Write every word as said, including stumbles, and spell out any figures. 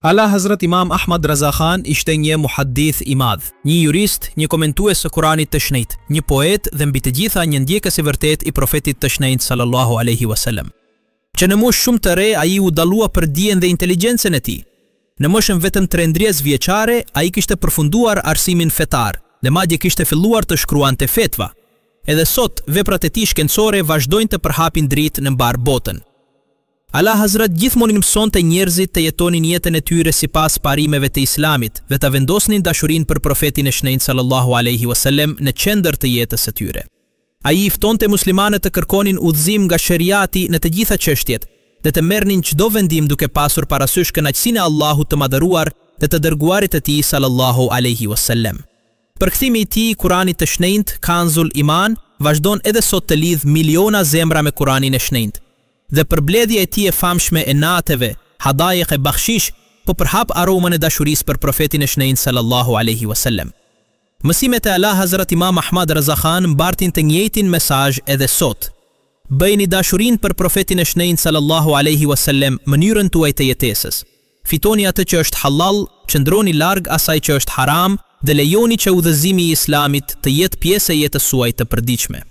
Ala Hazrat Imam Ahmad Raza Khan ishte një muhaddith i madh, një jurist, një komentues së Kuranit të Shenjtë, një poet dhe mbi të gjitha një ndjekës i vërtetë i profetit të shenjtë sallallahu alaihi wasallam. Që në moshë shumë të re ai u dallua për dijen dhe inteligjencën e tij. Në moshën vetëm trembëdhjetë vjeçare ai kishte përfunduar arsimin fetar dhe madje kishte filluar të shkruante fetva. Edhe sot veprat e tij shkencore vazhdojnë të përhapin dritë në mbar botën. Ala Hazrat gjithmonë i mësonte njerëzit të jetonin jetën e tyre sipas parimeve të Islamit dhe ta vendosnin dashurinë për profetin e shenjtë sallallahu alaihi wasallam në qendër të jetës së tyre. Ai i ftonte muslimanët të kërkonin udhëzim nga sheriati në të gjitha çështjet dhe të merrnin çdo vendim duke pasur parasysh kënaqësinë e Allahut të madhëruar dhe të dërguarit të tij sallallahu alaihi wasallam. Përkthimi i tij i Kuranit të shenjtë, Kanzul Iman, vazhdon edhe sot të lidh miliona zemra me Kuranin e shenjtë. Dhe përbledhja e tij e famshme e nateve, Hadaik e Bakhshish, po përhap aromën e dashurisë për profetin e shenjtë sallallahu alaihi wasallam. Mësimet e Ala Hazrat Imam Ahmad Raza Khan mbartin të njëjtin mesazh edhe sot. Bëjni dashurinë për profetin e shenjtë sallallahu alaihi wasallam mënyrën tuaj të jetesës. Fitoni atë që është halal, qëndroni larg asaj që është haram dhe lejoni që udhëzimi i Islamit të jetë pjesë e jetës suaj të përditshme.